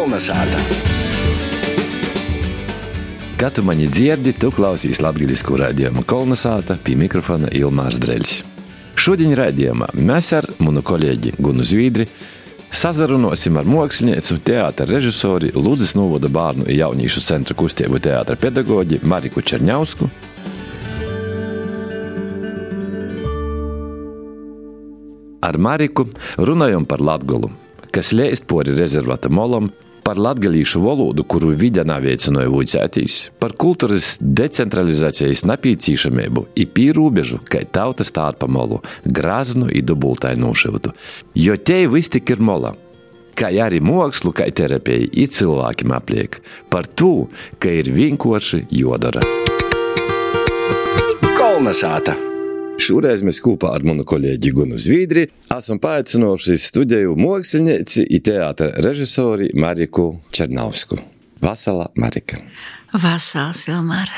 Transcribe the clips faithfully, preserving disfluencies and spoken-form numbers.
Kolnesāta. Kad tu mani dzirdi, tu klausīs latgaļisku raidījumu Kolnesāta, pie mikrofona Ilmārs Dreļs. Šodien raidījumā mēs ar manu kolēģi Gunu Zvīdri sazarunosim ar māksliniecu, teātra režisori, Ludzas novada bērnu un jaunīšu centra kustību teātra pedagoģi Mariku Čerņausku. Ar Mariku runājam par Latgolu, kas leist pori rezervata molam, par latgalīšu valodu, kuru vide nav veicināja vuicētīs, par kultūras decentralizācijas napīcīšamību i pīrūbežu, kai tauta stārpa molu, graznu i dubultai nūšivtu. Jo te viss tik ir mola, kā arī mākslu, kā terapija i cilvēkiem apliek, par to, ka ir vienkārši jodara. Kolnesāta. Šoreiz mēs kopā ar manu kolēģi Gunu Zvīdri esam paaicinojuši studiju mākslinieci i teātra režisori Mariku Čerņausku. Vasala, Marika. Vasals, Ilmār.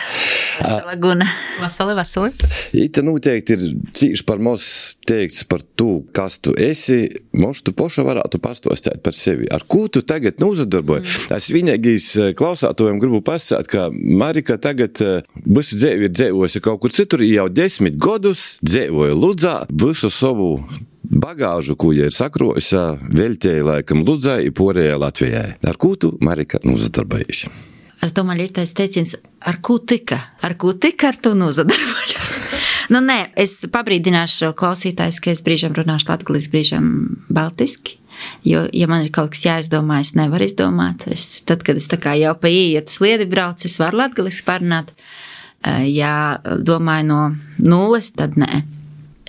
Vasala, Guna. Vasali, vasali. Ite noteikti ir cīši par maz teikts par to, kas tu esi. Moš tu poša varētu pastostēt par sevi. Ar ko tu tagad nozadarboji? Mm. Es vienīgīs klausātojiem gribu pasāt, ka Marika tagad visu dzēvi ir dzēvojusi kaut kur citur, jau desmit gadus dzēvoja Ludzā visu savu bagāžu, ko ja ir sakrojusi, veļtēja laikam Ludzai i porējai Latvijai. Ar ko tu, Marika, nozadarbojies? Es domāju, ir tais teiciens, ar ko tika, ar ko tika, ar to nozadarbojos. Nu, nē, es pabrīdināšu klausītājs, ka es brīžam runāšu latgaliski, brīžam baltiski, jo, ja man ir kaut kas jāizdomā, es nevaru izdomāt. Es, tad, kad es tā kā jau pa ietu sliedi braucu, es varu latgaliski parunāt. Ja domāju no nulles, tad nē.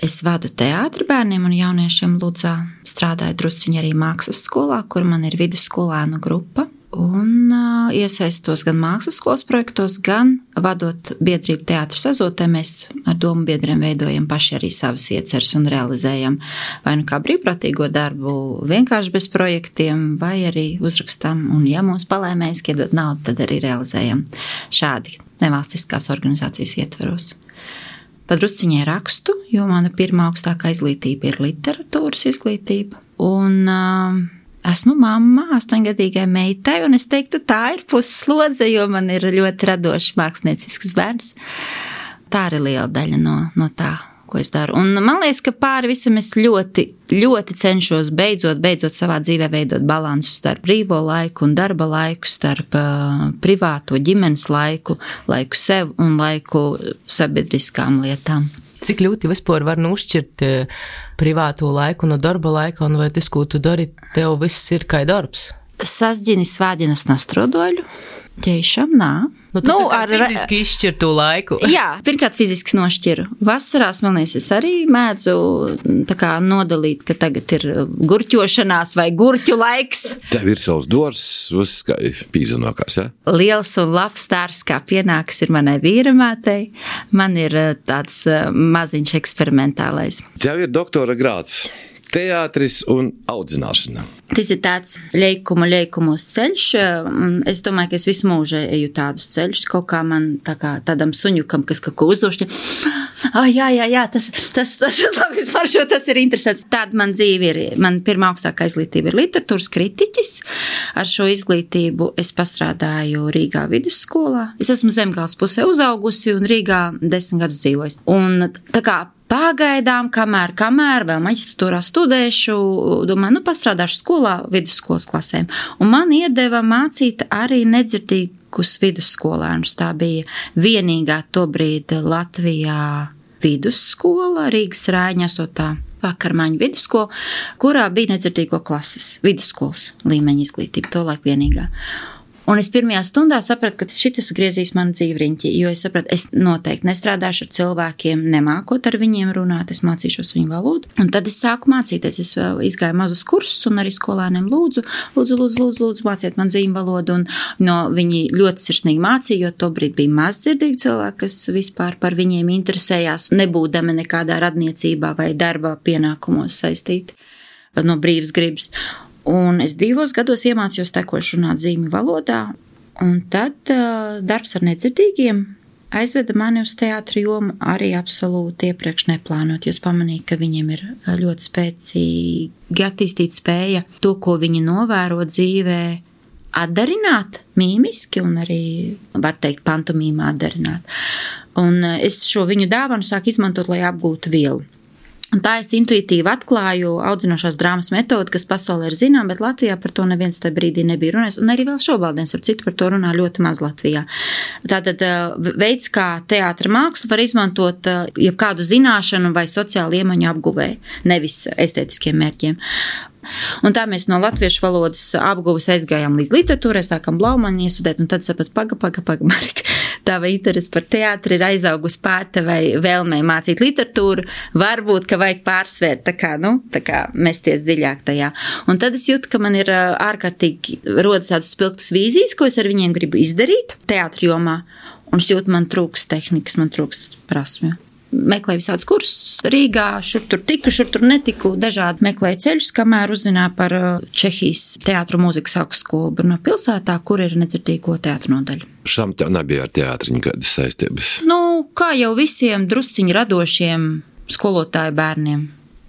Es vadu teātri bērniem un jauniešiem Ludzā, strādāju drusciņi arī mākslas skolā, kur man ir vidusskolēnu grupa. Un uh, iesaistos gan mākslas skolas projektos, gan vadot biedrību teātras azotē, mēs ar domu biedriem veidojam paši arī savas ieceres un realizējam vai nu kā brīvprātīgo darbu vienkārši bez projektiem, vai arī uzrakstam, un ja mums palēmēs iedot naudu, tad arī realizējam šādi nevalstiskās organizācijas ietveros. Padrusciņai rakstu, jo mana pirmā augstākā izglītība ir literatūras izglītība, un uh, esmu mamma astoņgadīgai meitai, un es teiktu, tā ir pusslodze, jo man ir ļoti radošs māksliniecisks bērns. Tā ir liela daļa no, no tā, ko es daru. Un man liekas, ka pāri visam es ļoti, ļoti cenšos beidzot, beidzot savā dzīvē veidot balansu starp brīvo laiku un darba laiku, starp uh, privāto ģimenes laiku, laiku sev un laiku sabiedriskām lietām. Cik ļoti vispār var nošķirt privāto laiku no darba laika, un vai tas, ko tu dari, tev viss ir kā darbs? Sasģini svādinas nastrodoļu, ķeišam, nā. Nu, tu nu, ar fiziski izšķir to laiku. Jā, pirmkārt fiziski nošķiru. Vasarās, man liekas, es arī mēdzu tā kā nodalīt, ka tagad ir gurķošanās vai gurķu laiks. Tev ir savs dors, viss kā pīzanokās, ja? Liels un labs stārs, kā pienāks, ir manai vīramātei. Man ir tāds maziņš eksperimentālais. Tev ir doktora grāds. Teātris un audzināšana. Tas ir tāds ļeikumu ļeikumos ceļš. Es domāju, ka es visu mūžu eju tādus ceļus. Kaut kā man tā kā tādam suņukam, kas kaut ko uzdošķi. Ah, jā, jā, jā, tas, tas, tas, labi, maršo, tas ir interesants. Tāda man dzīve ir. Man pirmā augstākā izglītība ir literatūras kritiķis. Ar šo izglītību es pastrādāju Rīgā vidusskolā. Es esmu Zemgales pusē uzaugusi un Rīgā desmit gadus dzīvojusi. Un tā kā pagaidām, kamēr, kamēr vēl maģistratūrā studēšu, domāju, nu pastrādāšu skolā vidusskolas klasēm. Un man iedeva mācīt arī nedzirdīgus vidusskolēnus. Tā bija vienīgā tobrīd Latvijā vidusskola, Rīgas Rāņa astotā vakarmaņu vidusskola, kurā bija nedzirdīgo klases, vidusskolas līmeņa izglītība, to laik vienīgā. Un es pirmajā stundā sapratu, ka šitas griezīs manu dzīvi riņķi, jo es sapratu, es noteikti nestrādāšu ar cilvēkiem, nemākot ar viņiem runāt, es mācīšos viņu valodu. Un tad es sāku mācīties, es izgāju mazus kursus un arī skolēniem lūdzu, lūdzu, lūdzu, lūdzu, lūdzu māciet man zīmu valodu, un no, viņi ļoti sirsnīgi mācīja, jo tobrīd bija mazdzirdīgi cilvēki, kas vispār par viņiem interesējās, nebūdami nekādā radniecībā vai darba pienākumos saistīti no brīvas gribas. Un es divos gados iemācījos tekoši runāt zīmju valodā, un tad uh, darbs ar nedzirdīgiem aizveda mani uz teātru jomu arī absolūti iepriekš neplānot, jo es pamanīju, ka viņiem ir ļoti spēcīgi attīstīta spēja to, ko viņi novēro dzīvē, atdarināt mīmiski un arī, var teikt, pantomīmā atdarināt. Un es šo viņu dāvanu sāku izmantot, lai apgūtu vielu. Un tā es intuitīvi atklāju audzinošās drāmas metodi, kas pasaulē ir zinām, bet Latvijā par to neviens tajā brīdī nebija runājis, un arī vēl šobrīd ar citu par to runā ļoti maz Latvijā. Tātad veids, kā teātra mākslu var izmantot jebkādu zināšanu vai sociālu iemaņu apguvēju, nevis estētiskiem mērķiem. Un tā mēs no latviešu valodas apguves aizgājām līdz literatūrai, sākam Blaumani iestudēt, un tad sapat, paga, paga, paga, Marika, tā vai interesi par teātri ir aizaugus pārta vai vēlmei mācīt literatūru, varbūt, ka vajag pārsvērt, tā kā, nu, tā kā mesties dziļāk tajā. Un tad es jūtu, ka man ir ārkārtīgi rodas tādas spilgtas vīzijas, ko es ar viņiem gribu izdarīt teātri jomā, un es jūtu, man trūks tehnikas, man trūks prasmju. Meklēju visādus kursus Rīgā, šur tur tiku, šur tur netiku, dažādi meklēju ceļus, kamēr uzzināju par Čehijas teātru mūzikas augstskolu Brno pilsētā, kur ir nedzirdīgo teātru nodaļa. Šam tev nebija ar teātri nekādas saistības? Nu, kā jau visiem drusciņi radošiem skolotāju bērniem.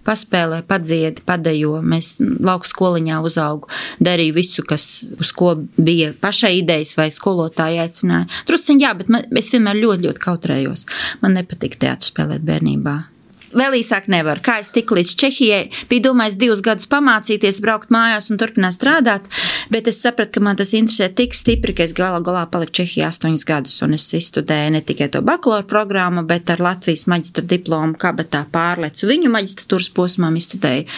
Paspēlē, padziedi, padejo, mēs lauku skoliņā uzaugu, darīju visu, kas, uz ko bija pašai idejas vai skolotāji aicināja. Drusciņ jā, bet man, es vienmēr ļoti, ļoti kautrējos. Man nepatika teātris spēlēt bērnībā. Vēl īsāk nevaru. Kā es tiku līdz Čehijai, bija domājis divus gadus pamācīties, braukt mājās un turpināt strādāt, bet es sapratu, ka man tas interesē tik stipri, ka es galā galā paliku Čehijā astoņus gadus, un es izstudēju ne tikai to bakalaura programmu, bet ar Latvijas maģistra diplomu kabatā pārlecu viņu maģistratūras posmām, izstudēju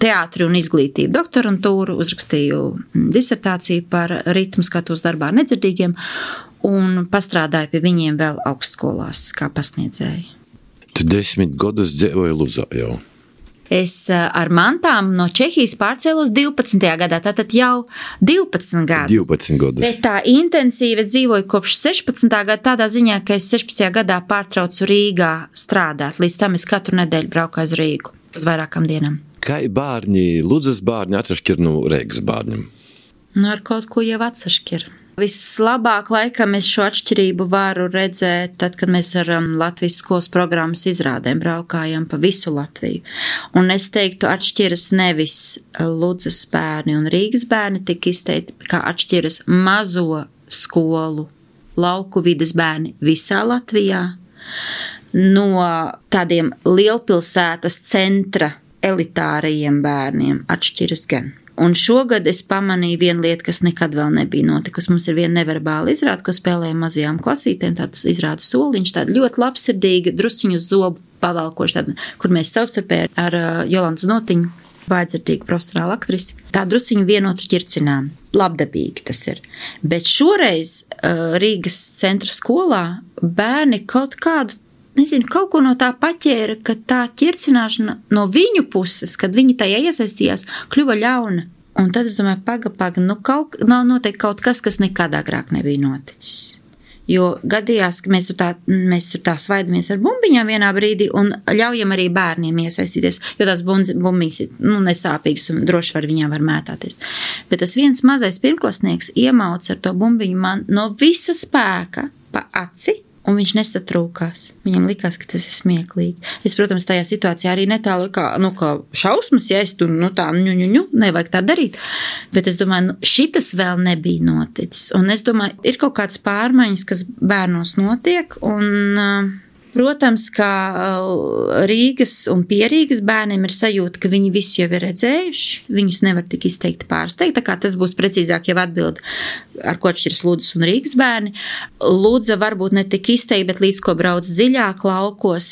teātri un izglītību doktorantūru, uzrakstīju disertāciju par ritmu skatos darbā ar nedzirdīgiem un pastrādāju pie viņiem vēl augstskolās kā pasniedzēji. Tu desmit gadus dzīvoji Luzā jau. Es ar mantām no Čehijas pārcēlos divpadsmitajā gadā, tātad jau divpadsmit gadus. divpadsmit gadus. Bet tā intensīvi es dzīvoju kopš sešpadsmitā gada tādā ziņā, ka es sešpadsmitajā gadā pārtraucu Rīgā strādāt. Līdz tam es katru nedēļu braucu uz Rīgu, uz vairākām dienām. Kā bērni, Luzas bērni atsašķir no Reigas bērniem? Nu, ar kaut ko jau atsašķir. Vislabāk laikam es šo atšķirību varu redzēt, tad, kad mēs ar um, Latvijas skolas programmas izrādēm braukājam pa visu Latviju. Un es teiktu, atšķiras nevis Ludzas bērni un Rīgas bērni, tik izteikti, kā atšķiras mazo skolu, lauku vides bērni visā Latvijā, no tādiem lielpilsētas centra elitārajiem bērniem atšķiras gan. Un šogad es pamanīju vienu lietu, kas nekad vēl nebija notikusi. Mums ir viena neverbāla izrāde, ko spēlējam mazajām klasītēm, tāds izrāda soliņš, tāda ļoti labsirdīga, drusciņu uz zobu pavalkoša, tāda, kur mēs savstarpēji ar uh, Jolantu Notiņu, vājdzirdīgu profesionālu aktrisi, tā drusciņu vienotru ķircinām. Labdabīgi tas ir. Bet šoreiz uh, Rīgas centra skolā bērni kaut kādu nezinu, kaut ko no tā paķēra, ka tā ķircināšana no viņu puses, kad viņi tajā iesaistījās, kļuva ļauna. Un tad es domāju, paga, paga, nu kaut, nav noteikti kaut kas, kas nekad agrāk nebija noticis. Jo gadījās, ka mēs tur tā, mēs tur tā svaidamies ar bumbiņām vienā brīdī un ļaujam arī bērniem iesaistīties, jo tās bumbiņas ir nu, nesāpīgas un droši var viņām var mētāties. Bet tas viens mazais pirmklasnieks iemauc ar to bumbiņu man no visa spēka pa aci, un viņš nesatrūkās. Viņam likās, ka tas ir smieklīgi. Es, protams, tajā situācijā arī netālu kā, nu, kā šausmas, ja es tur, nu, tā, ņu, ņu, ņu, nevajag tā darīt. Bet es domāju, nu, šitas vēl nebija noticis. Un es domāju, ir kaut kāds pārmaiņas, kas bērnos notiek, un, protams, kā Rīgas un Pierīgas bērniem ir sajūta, ka viņi visu jau ir redzējuši, viņus nevar tik izteikti pārsteigt, tā kā tas būs precīzāk jau atbild, ar ko atšķiras Ludzas un Rīgas bērni. Ludza varbūt ne tik izteikti, bet līdz ko brauc dziļāk laukos,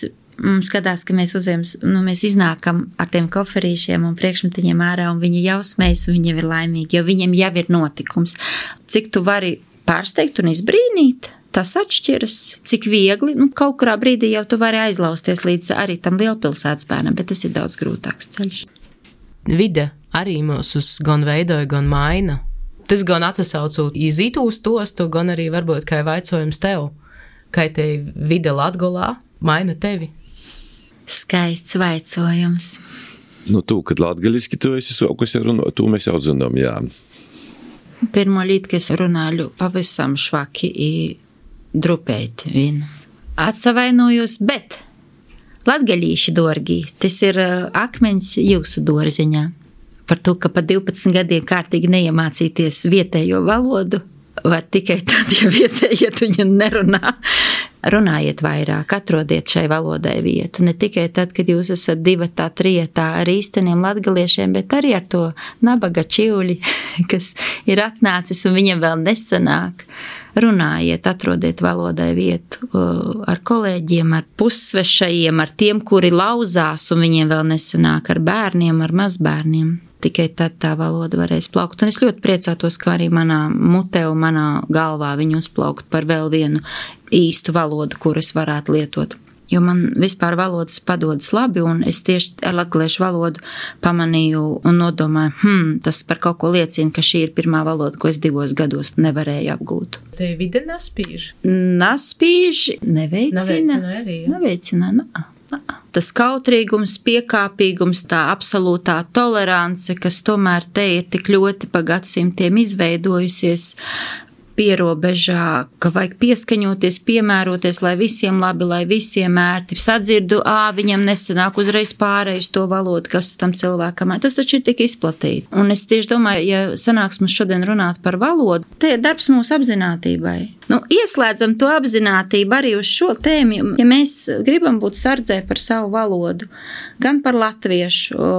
skatās, ka mēs uzējam, nu, mēs iznākam ar tiem koferīšiem un priekšmetiņiem ārā, un viņi jau smējas, un viņi jau ir laimīgi, jo viņiem jau ir notikums. Cik tu vari pārsteigt un izbrīnīt? Tas atšķiras, cik viegli, nu, kaut kurā brīdī jau tu vari aizlausties līdz arī tam lielpilsētas bērnam, bet tas ir daudz grūtāks ceļš. Vide arī mūs gan veidoja, gan maina. Tas gan atsasaucu izītu uz tostu, gan arī varbūt kā vaicojums tev, kā te vide Latgolā maina tevi. Skaists vaicojums. Nu, tu, kad latgaliski tu esi sokus jau runāt, tu mēs jau zinām, jā. Pirmo līdz, ka es runāju pavisam švaki i drupēt vien. Atsavainojos, bet latgalīši dorgi, tas ir akmeņs jūsu dārziņā. par to, ka pa divpadsmit gadiem kārtīgi neiemācīties vietējo valodu, var tikai tad, ja vietējie viņu nerunā. Runājiet vairāk, atrodiet šai valodai vietu. Ne tikai tad, kad jūs esat divatā, trietā ar īsteniem latgaliešiem, bet arī ar to nabaga čiuļi, kas ir atnācis un viņam vēl nesanāk. Runājiet, atrodiet valodai vietu ar kolēģiem, ar pussvešajiem, ar tiem, kuri lauzās un viņiem vēl nesanāk, ar bērniem, ar mazbērniem. Tikai tad tā valoda varēs plaukt. Un es ļoti priecātos, ka arī manā mutē un manā galvā viņu uzplaukt par vēl vienu īstu valodu, kuras varētu lietot. Jo man vispār valodas padodas labi, un es tieši ar latgaliešu valodu pamanīju un nodomāju, hmm, tas par kaut ko liecina, ka šī ir pirmā valoda, ko es divos gados nevarēju apgūt. Te vide naspīž? Naspīž, neveicina. Neveicina arī, jā. Neveicina, nā. Tas kautrīgums, piekāpīgums, tā absolūtā tolerance, kas tomēr te ir tik ļoti pa gadsimtiem izveidojusies pierobežā, ka vajag pieskaņoties, piemēroties, lai visiem labi, lai visiem ērti. Sadzirdu, ā, viņam nesanāk uzreiz pārējus to valodu, kas tam cilvēkam. Tas taču ir tik izplatīti. Un es tieši domāju, ja sanāks mums šodien runāt par valodu, te ir darbs mūsu apzinātībai. Nu, ieslēdzam to apzinātību arī uz šo tēmu, ja mēs gribam būt sardzē par savu valodu, gan par latviešu o,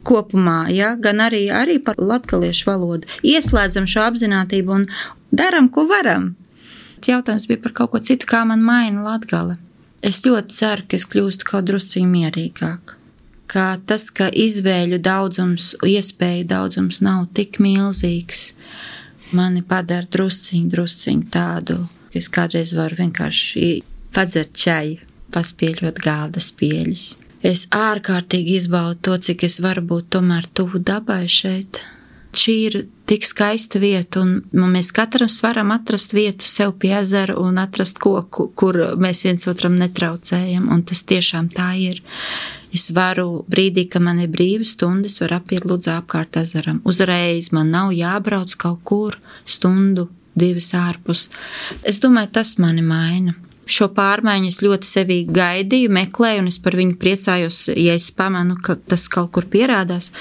kopumā, ja, gan arī, arī par latgaliešu valodu. Ieslēdzam šo apzinātību un daram, ko varam. Jautājums bija par kaut ko citu, kā man maina Latgale. Es ļoti ceru, ka es kļūstu kaut drusciņ mierīgāk. Kā tas, ka izvēļu daudzums, iespēju daudzums nav tik milzīgs, mani padara drusciņ, drusciņ tādu, ka es kādreiz varu vienkārši padzert čaju, paspieļot galda spieļus. Es ārkārtīgi izbaudu to, cik es varu būt tomēr tuvu dabai šeit. Šī ir tik skaista vieta, un mēs katrs varam atrast vietu sev pie ezera un atrast koku, kur mēs viens otram netraucējam, un tas tiešām tā ir. Es varu brīdī, ka man ir brīva stunda, es varu apiet Ludzā apkārt ezeram. Uzreiz man nav jābrauc kaut kur stundu, divas ārpus. Es domāju, tas mani maina. Šo pārmaiņu es ļoti sevī gaidīju, meklēju, un es par viņu priecājos, ja es pamanu, ka tas kaut kur pierādās.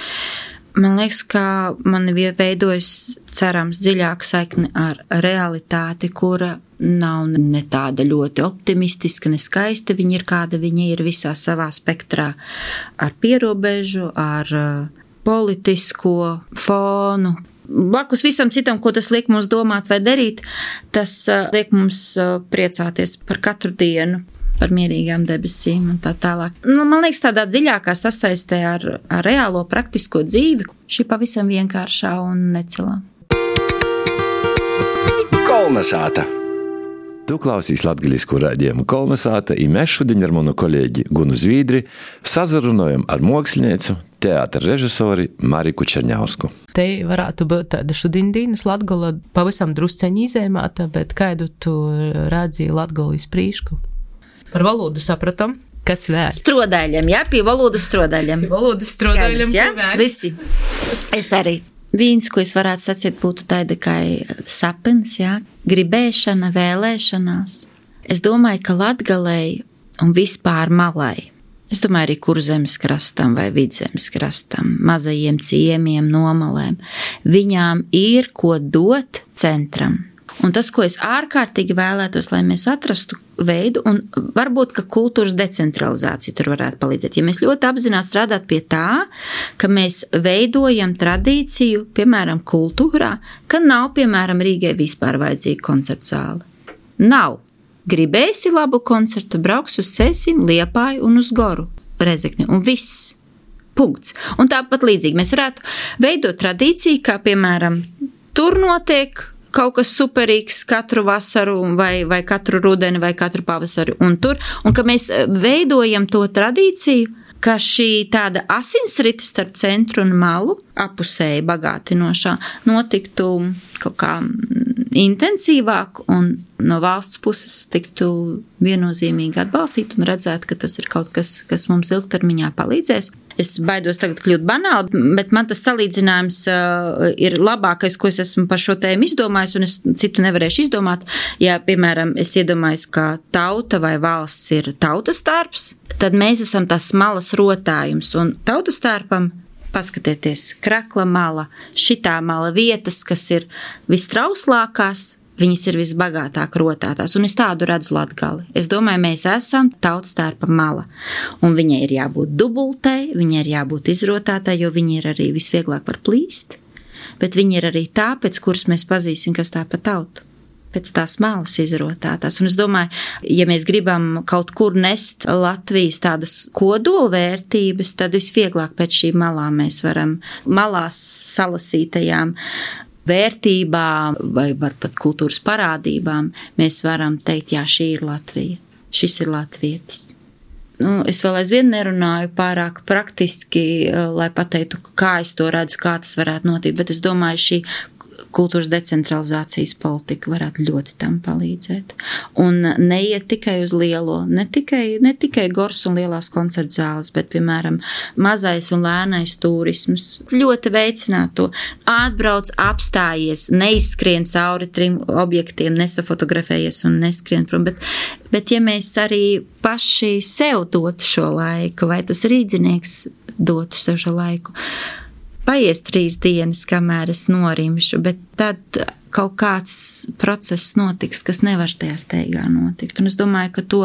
Man liekas, ka man veidojas cerams dziļāka saikne ar realitāti, kura nav ne tāda ļoti optimistiska, ne skaista. Viņa ir kāda viņa ir visā savā spektrā ar pierobežu, ar politisko fonu. Blakus visam citam, ko tas liek mums domāt vai darīt, tas liek mums priecāties par katru dienu, par mierīgām debesīm un tā tālāk. Nu, man liekas, tādā dziļākā sasaistē ar, ar reālo praktisko dzīvi, šī pavisam vienkāršā un necelā. Kolnesāta. Tu klausīs latgaļisku raidījumu Kolnesāta, i mēs šodien ar manu kolēģi Gunu Zvīdri sazarunojam ar mākslinieci, teātra režisori Mariku Čerņausku. Te varētu būt tāda šodienas Latgola pavisam drusceņi izēmāta, bet kādu tu rādzīji Latgolis prīšku? Par valodu sapratam, kas vēl? Strodāļiem, jā, pie valodas strodāļiem. Pie valodas strodāļiem, jā, visi. Es arī. Viens, ko es varētu sacīt, būtu tāda kā sapens, jā, gribēšana, vēlēšanās. Es domāju, ka Latgalei un vispār malai, es domāju arī Kurzemes krastam vai Vidzemes krastam, mazajiem ciemiem, nomalēm, viņām ir ko dot centram. Un tas, ko es ārkārtīgi vēlētos, lai mēs atrastu veidu, un varbūt, ka kultūras decentralizācija tur varētu palīdzēt. Ja mēs ļoti apzināti strādāt pie tā, ka mēs veidojam tradīciju, piemēram, kultūrā, ka nav, piemēram, Rīgai vispār vajadzīga koncerta zāle. Nav. Gribēsi labu koncertu, brauks uz Cēsim, Liepāju un uz Goru, Rezekni, un viss. Punkts. Un tāpat līdzīgi mēs varētu veidot tradīciju, kā, piemēram, tur notiek kaut kas superīgs katru vasaru vai, vai katru rudeni vai katru pavasaru un tur, un ka mēs veidojam to tradīciju, ka šī tāda asinsrite starp centru un malu, apusēji bagātinošā, notiktu kaut kā intensīvāk un no valsts puses tiktu viennozīmīgi atbalstīt un redzēt, ka tas ir kaut kas, kas mums ilgtermiņā palīdzēs. Es baidos tagad kļūt banāli, bet man tas salīdzinājums uh, ir labākais, ko es esmu par šo tēmu izdomājis, un es citu nevarēšu izdomāt. Ja, piemēram, es iedomājos, ka tauta vai valsts ir tautas tārps, tad mēs esam tās smalas rotājums, un tautas tārpam paskatieties, Krakla mala, šitā mala vietas, kas ir vistrauslākās, viņas ir visbagātāk rotātās, un es tādu redzu Latgali. Es domāju, mēs esam tautstērpa mala, un viņai ir jābūt dubultai, viņai ir jābūt izrotātai, jo viņa ir arī visvieglāk var plīst, bet viņa ir arī tā, pēc kuras mēs pazīsim, kas tā pa tautu, pēc tās malas izrotātās. Un es domāju, ja mēs gribam kaut kur nest Latvijas tādas kodolvērtības, tad visvieglāk pēc šīm malām mēs varam malās salasītajām vērtībām vai varbūt kultūras parādībām, mēs varam teikt, jā, šī ir Latvija, šis ir latvietis. Nu, es vēl aizvien nerunāju pārāk praktiski, lai pateiktu, kā es to redzu, kā tas varētu notikt, bet es domāju, šī kultūras decentralizācijas politika varētu ļoti tam palīdzēt. Un neiet tikai uz lielo, ne tikai, ne tikai gors un lielās koncerta zāles, bet, piemēram, mazais un lēnais turisms. Ļoti veicināt to. Atbrauc, apstājies, neizskrien cauri trim objektiem, nesafotografējies un neskrien prom, bet, bet ja mēs arī paši sev dotu šo laiku, vai tas rīdzinieks dotu sev šo laiku, paies trīs dienas, kamēr es norimšu, bet tad kaut kāds process notiks, kas nevar tajā steigā notikt. Un es domāju, ka to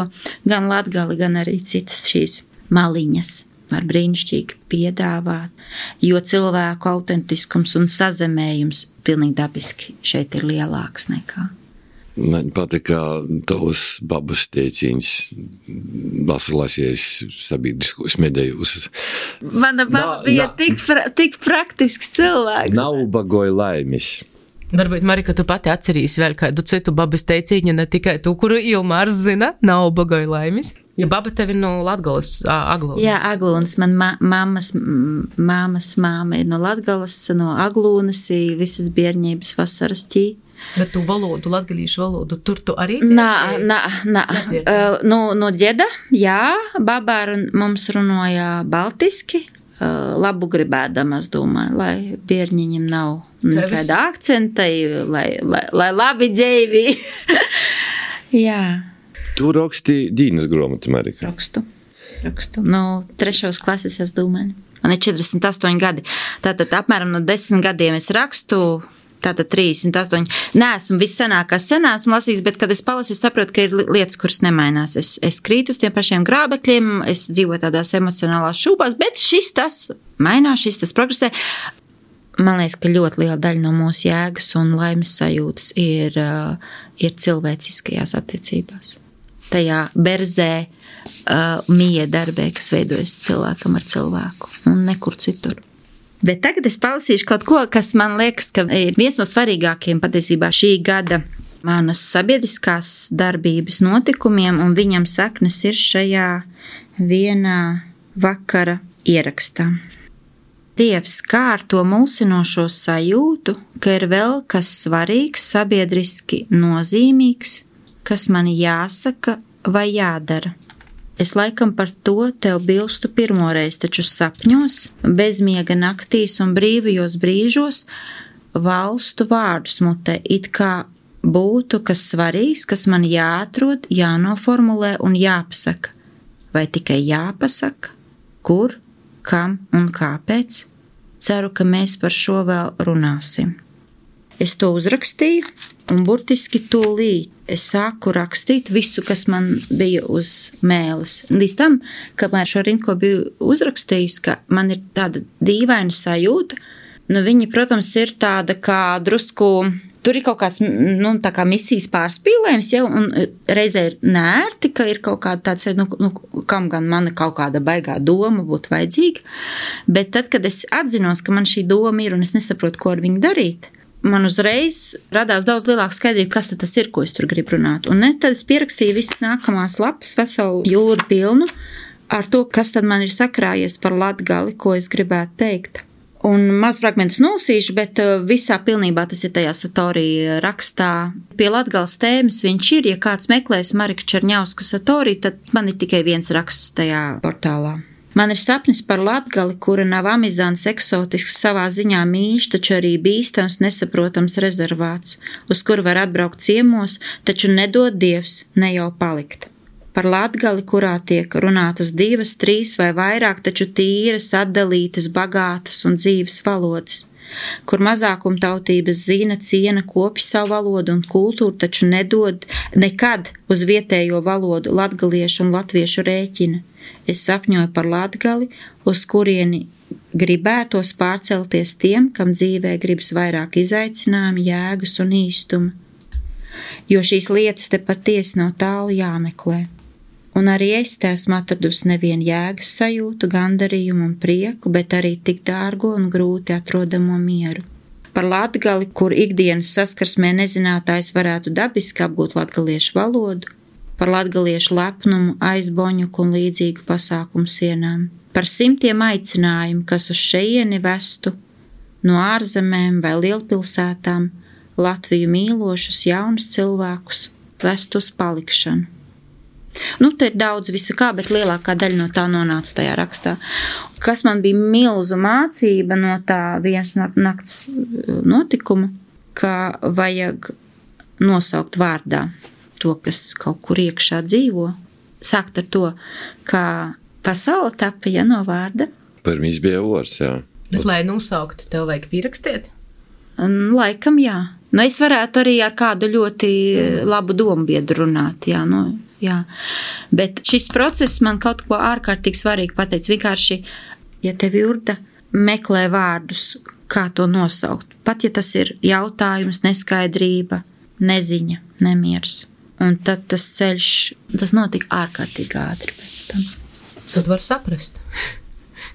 gan Latgali, gan arī citas šīs maliņas var brīnišķīgi piedāvāt, jo cilvēku autentiskums un sazemējums pilnīgi dabiski šeit ir lielāks nekā. Man patīk, kā tavs babas teiciens esmu lasījis sabiedriskos medijos. Mana baba bija tik, pra, tik praktisks cilvēks. Nav ubagoja laimis. Varbūt, Marika, tu pati atcerīsi vēl kādu citu babas teicīņu, ne tikai tu, kuru Ilmārs zina, nav ubagoja laimis. Jo baba tev ir no Latgalas, Aglūnas. Jā, Aglūnas. Man ma mammas, mammas māma ir no Latgalas, no Aglūnas, visas bierņības vasaras ķī. Bet tu valodu, latgalīšu valodu, tur tu arī dzirdēji? Nā, nā, nā. Uh, no, no dzieda, jā, babā mums runāja baltiski, uh, labu gribēdama, es domāju, lai bierņiņam nav nekāda akcenta, lai, lai, lai labi dzēvi. Jā. Tu raksti dīnas grāmatu, Marika? Rakstu, rakstu. No trešos klases, es domāju. Man ir četrdesmit astoņi gadi. Tātad apmēram no desmit gadiem es rakstu. Tātad trīsdesmit astoņi. Nē, esmu vissenākās senās lasījis, bet, kad es palasīju, saprotu, ka ir lietas, kuras nemainās. Es, es krītu uz tiem pašiem grābekļiem, es dzīvoju tādās emocionālās šūpās, bet šis tas mainās, šis tas progresē. Man liekas, ka ļoti liela daļa no mūsu jēgas un laimes sajūtas ir, uh, ir cilvēciskajās attiecībās. Tajā berzē, uh, miedarbē, kas veidojas cilvēkam ar cilvēku un nekur citur. Bet tagad es palasīšu kaut ko, kas man liekas, ka ir viens no svarīgākiem patiesībā šī gada manas sabiedriskās darbības notikumiem, un viņam saknes ir šajā vienā vakara ierakstā. Dievs, kā ar to mulsinošo sajūtu, ka ir vēl kas svarīgs, sabiedriski nozīmīgs, kas man jāsaka vai jādara. Es laikam par to tev bilstu pirmoreiz, taču sapņos, bezmiega naktīs un brīvajos brīžos valstu vārdus mutē, it kā būtu kas svarīgs, kas man jāatrod, jānoformulē un jāpasaka. Vai tikai jāpasaka? Kur, kam un kāpēc? Ceru, ka mēs par šo vēl runāsim. Es to uzrakstīju, un burtiski tūlīt es sāku rakstīt visu, kas man bija uz mēles. Līdz tam, kamēr šo rinko biju uzrakstījusi, ka man ir tāda dīvaina sajūta, nu viņi, protams, ir tāda kā drusku, tur ir kaut kāds, nu, tā kā misijas pārspīlējums, jau, un reizē ir nērti, ka ir kaut kāda tāds, nu, nu, kam gan mana kaut kāda baigā doma būtu vajadzīga, bet tad, kad es atzinos, ka man šī doma ir, un es nesaprotu, ko ar viņu darīt, man uzreiz radās daudz lielāka skaidrība, kas tad tas ir, ko es tur gribu runāt. Un ne, tad es pierakstīju visas nākamās lapas, veselu jūru pilnu, ar to, kas tad man ir sakrājies par Latgali, ko es gribētu teikt. Un maz fragmentus nolasīšu, bet visā pilnībā tas ir tajā Satori rakstā. Pie Latgales tēmas viņš ir, ja kāds meklēs Marika Čerņauska Satori, tad man ir tikai viens raksts tajā portālā. Man ir sapnis par Latgali, kura nav amizants, eksotisks, savā ziņā mīļš, taču arī bīstams, nesaprotams rezervāts, uz kuru var atbraukt ciemos, taču nedod Dievs, ne jau palikt. par Latgali, kurā tiek runātas divas, trīs vai vairāk, taču tīras, atdalītas, bagātas un dzīves valodas, kur mazākumtautības zina, ciena, kopj savu valodu un kultūru, taču nedod nekad uz vietējo valodu latgaliešu un latviešu rēķina. Es sapņoju par Latgali, uz kurieni gribētos pārcelties tiem, kam dzīvē gribas vairāk izaicinājumu, jēgas un īstuma, jo šīs lietas te patiesi nav tālu jāmeklē. Un arī es te esmu atradusi nevienu jēgas sajūtu, gandarījumu un prieku, bet arī tik dārgo un grūti atrodamo mieru. Par Latgali, kur ikdienas saskarsmē nezinātājs varētu dabiski apgūt latgaliešu valodu, par latgaliešu lepnumu, aizboņuku un līdzīgu pasākumu sienām, par simtiem aicinājumu, kas uz šeieni vestu no ārzemēm vai lielpilsētām, Latviju mīlošus jaunus cilvēkus vest uz palikšanu. Nu, te ir daudz visa kā, bet lielākā daļa no tā nonāca tajā rakstā. Kas man bija milzu mācība no tā vienas nakts notikuma, ka vajag nosaukt vārdā to, kas kaut kur iekšā dzīvo. Sākt ar to, kā pasaule tapa, ja no vārda. Pirmīs bija vārds, jā. Bet, lai nosauktu, tev vajag pierakstīt? Laikam, jā. Nu, es varētu arī ar kādu ļoti labu dombiedru runāt, jā, nu, jā. Bet šis process man kaut ko ārkārtīgi svarīgi pateica. Vienkārši, ja tev Jurda meklē vārdus, kā to nosaukt, pat ja tas ir jautājums, neskaidrība, neziņa, nemiers. Un tad tas ceļš, tas notika ārkārtīgi ātri pēc tam. Tad var saprast,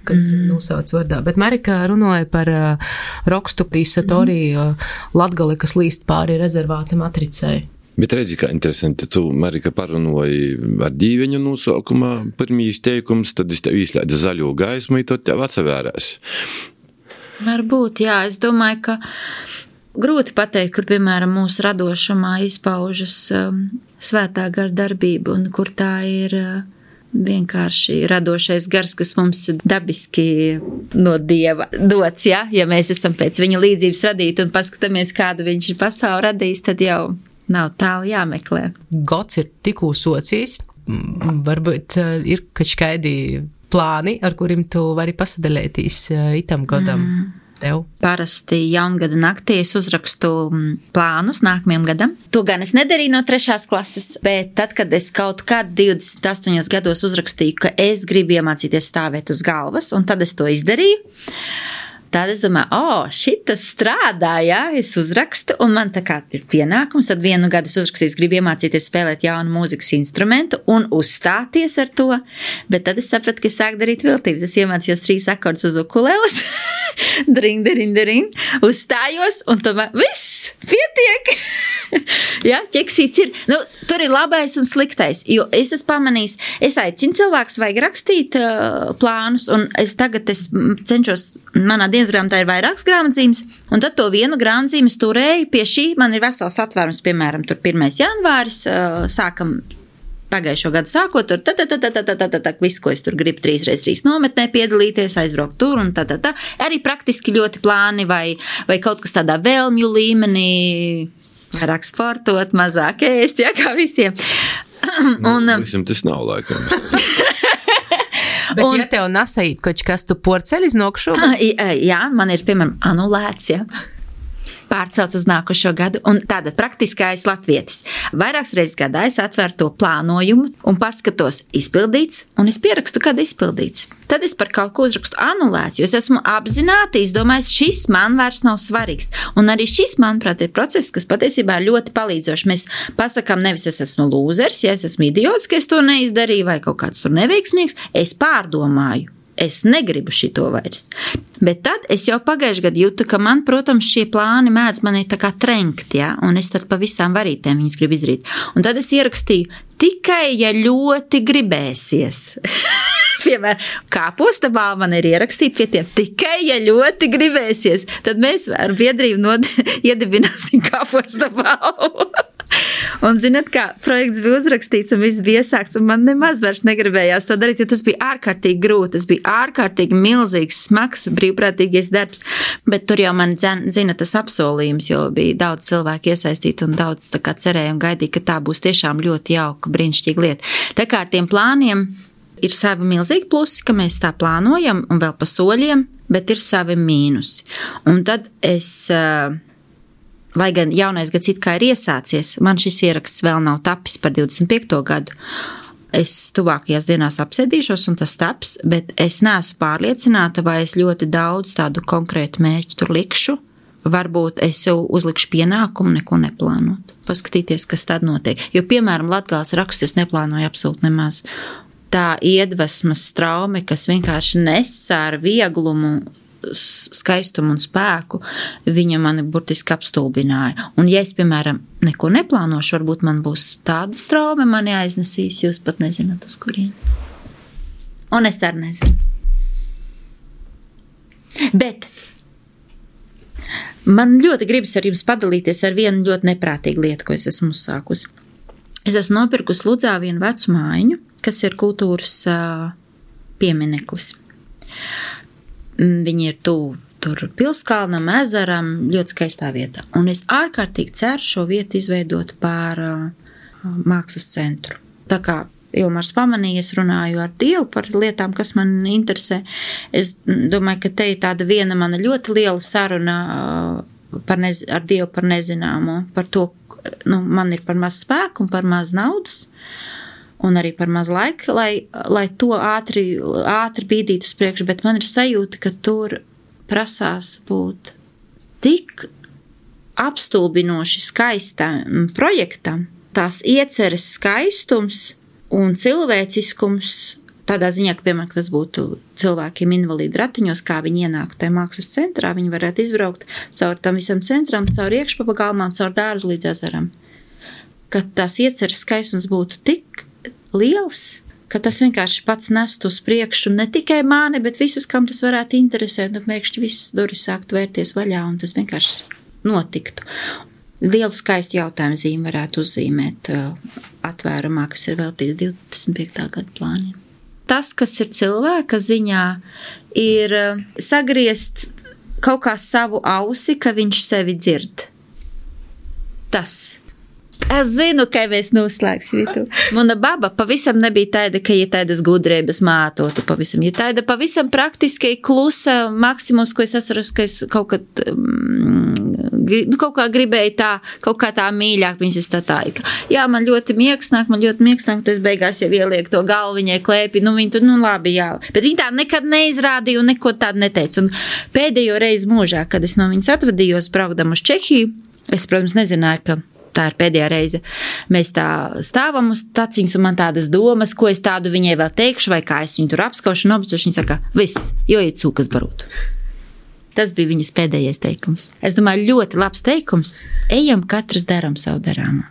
kad mm. nosauc vārdā. Bet Marika runāja par uh, Rokstu Satorī uh, Latgali, kas līst pāri rezervāta matricai. Bet redzi, kā interesanti, tu, Marika, parunāji ar dīveņu nosaukumā pirmīs teikums, tad es tev izslēdzu zaļo gaismu, un tad tev atsavērās. Varbūt, jā, es domāju, ka grūti pateikt, kur, piemēram, mūsu radošumā izpaužas um, svētā gara darbība, un kur tā ir uh, vienkārši radošais gars, kas mums dabiski no Dieva dots, ja? Ja mēs esam pēc viņa līdzības radīti un paskatāmies, kādu viņš ir pasauli radījis, tad jau nav tālu jāmeklē. Gods ir tikū socijas, varbūt ir kačkaidi plāni, ar kuriem tu vari pasadalētīs itam godam mm. tev. Parasti jaungada naktī es uzrakstu plānus nākamajam gadam. To gan es nedarīju no trešās klases, bet tad, kad es kaut kad divdesmit astoņos gados uzrakstīju, ka es gribu iemācīties stāvēt uz galvas, un tad es to izdarīju, tad es domāju, o, oh, šitas strādā, jā, es uzrakstu, un man tā kā ir pienākums, tad vienu gadu es uzrakstīju, gribu iemācīties spēlēt jaunu mūzikas instrumentu un uzstāties ar to, bet tad es sapratu, ka es sāku darīt viltības. Es iemācījos trīs akordus uz ukuleles, dring, dring, dring, uzstājos, un tomēr viss, pietiek. Jā, ķeksīts ir, nu, tur ir labais un sliktais, jo es esmu pamanījis, es aicinu cilvēkus, vajag rakstīt uh, plānus, un es tagad es cenšos, manā dienas grāmatā ir vairākas grāmatzīmes, un tad to vienu grāmatzīmes turēju pie šī, man ir vesels atvērums, piemēram, tur pirmais janvāris, uh, sākam pagājušo gadu sākot, tur tā, tā, tā, tā, tā, tā, tā, tā, visu, ko es tur gribu trīs reiz trīs nometnē piedalīties, aizbraukt tur un tā, tā, tā. Arī praktiski ļoti plāni vai, vai kaut kas tādā vēlmju līmenī, vairāk sportot, mazāk ēst, jā, kā visiem. Un, nu, visam tas nav laikam. Bet un, ja tev nasait kaut kas tu porceļ iznokšu? Jā, man ir, piemēram, anulēts, jā. Pārcelts uz nākošo gadu, un tāda praktiskais latvietis. Vairākas reizes gadā es atveru to plānojumu un paskatos izpildīts, un es pierakstu, kad izpildīts. Tad es par kaut ko uzrakstu anulēts, jo es esmu apzināti izdomājis, šis man vairs nav svarīgs. Un arī šis, manuprāt, ir process, kas patiesībā ļoti palīdzoši. Mēs pasakām, nevis es esmu lūzers, ja es esmu idiots, ka es to neizdarīju, vai kaut kāds tur neveiksmīgs, es pārdomāju. Es negribu šito vairs. Bet tad es jau pagājuši gadu jūtu, ka man, protams, šie plāni mēdz mani tā kā trenkt, ja? Un es tad pa visām varītēm viņus gribu izdarīt. Un tad es ierakstīju, tikai ja ļoti gribēsies. Piemēram, kāposta balva man ir ierakstīta pie tiem, tikai ja ļoti gribēsies, tad mēs ar biedrību nod... iedibināsim kāposta balvu. Un, zināt, kā projekts bija uzrakstīts un viss bija iesākts, un man nemaz vairs negribējās to darīt, jo tas bija ārkārtīgi grūti, tas bija ārkārtīgi milzīgs, smags, brīvprātīgais darbs, bet tur jau man zina tas apsolījums, jo bija daudz cilvēku iesaistīti un daudz tā kā cerēja un gaidīja, ka tā būs tiešām ļoti jauka, brīnišķīga lieta. Tā kā ar tiem plāniem ir savi milzīgi plusi, ka mēs tā plānojam un vēl pa soļiem, bet ir savi mīnusi. Un tad es, lai gan jaunais gads it kā ir iesācies, man šis ieraksts vēl nav tapis par divdesmit piekto gadu. Es tuvākajās dienās apsēdīšos un tas taps, bet es neesmu pārliecināta, vai es ļoti daudz tādu konkrētu mērķu tur likšu. Varbūt es jau uzlikšu pienākumu neko neplānot. Paskatīties, kas tad notiek. Jo, piemēram, Latgales rakstus neplānoju absolūti nemaz. Tā iedvesmas traume, kas vienkārši nesā ar vieglumu, skaistumu un spēku, viņa mani burtiski apstulbināja. Un ja es, piemēram, neko neplānošu, varbūt man būs tāda traume, mani aiznesīs, jūs pat nezināt, uz kurien. Un es arī nezinu. Bet man ļoti gribas ar jums padalīties ar vienu ļoti neprātīgu lietu, ko es esmu uzsākusi. Es esmu nopirkusi Ludzā vienu vecu mājiņu, kas ir kultūras uh, piemineklis. Viņi ir tuvu tur Pilskalnam, ezeram, ļoti skaistā vietā. Un es ārkārtīgi ceru šo vietu izveidot par uh, mākslas centru. Tā kā Ilmars pamanīja, es runāju ar Dievu par lietām, kas man interesē. Es domāju, ka te ir tāda viena mana ļoti liela saruna uh, par nez, ar Dievu par nezināmo, par to, nu, man ir par maz spēku un par maz naudas. Un arī par maz laika, lai, lai to ātri, ātri bīdītu uz priekšu, bet man ir sajūta, ka tur prasās būt tik apstulbinoši skaistam projektam, tās ieceres skaistums un cilvēciskums, tādā ziņā, ka, piemēram, tas būtu cilvēkiem invalīdu ratiņos, kā viņi ienāk tajā mākslas centrā, viņi varētu izbraukt caur tam visam centram, caur iekšpapagalmām, caur dārzu līdz ezeram. Ka tās ieceres skaistums būtu tik liels, ka tas vienkārši pats nest uz priekšu ne tikai mani, bet visus, kam tas varētu interesēt, un pēkšņi visas durvis sākt vērties vaļā, un tas vienkārši notiktu. Lielu skaistu jautājumu zīmi varētu uzzīmēt atvērumā, kas ir veltīts divdesmit piektā gada plāniem. Tas, kas ir cilvēka ziņā, ir sagriezt kaut kā savu ausi, ka viņš sevi dzird. Tas. Es zinu, ka mēs noslēgsim to. Mana baba pavisam nebija tāda, ka ja tādas gudrības mātotu pavisam. Ja tāda pavisam praktiski klusa maksimums, ko es atceros, ka es kaut kad, mm, kaut kā gribēju tā, kaut kā tā mīļāk viņas es tā tā. Jā, man ļoti mieksnāk, man ļoti mieksnāk, tas beigās jau ieliek to galvu viņai klēpi, nu viņa tur, nu labi, jā. Bet viņa tā nekad neizrādīja un neko tādu neteica. Un pēdējo reizi mūžā, kad es no viņas atvadījos, braukdam uz Čehiju, es, protams, nezināju, ka tā ir pēdējā reize. Mēs tā stāvam uz taciņas un man tādas domas, ko es tādu viņai vēl teikšu, vai kā es viņu tur apskaušu un obcošu. Viņa saka, viss, jo ir cūkas barūt. Tas bija viņas pēdējais teikums. Es domāju, ļoti labs teikums. Ejam, katrs daram savu darāmu.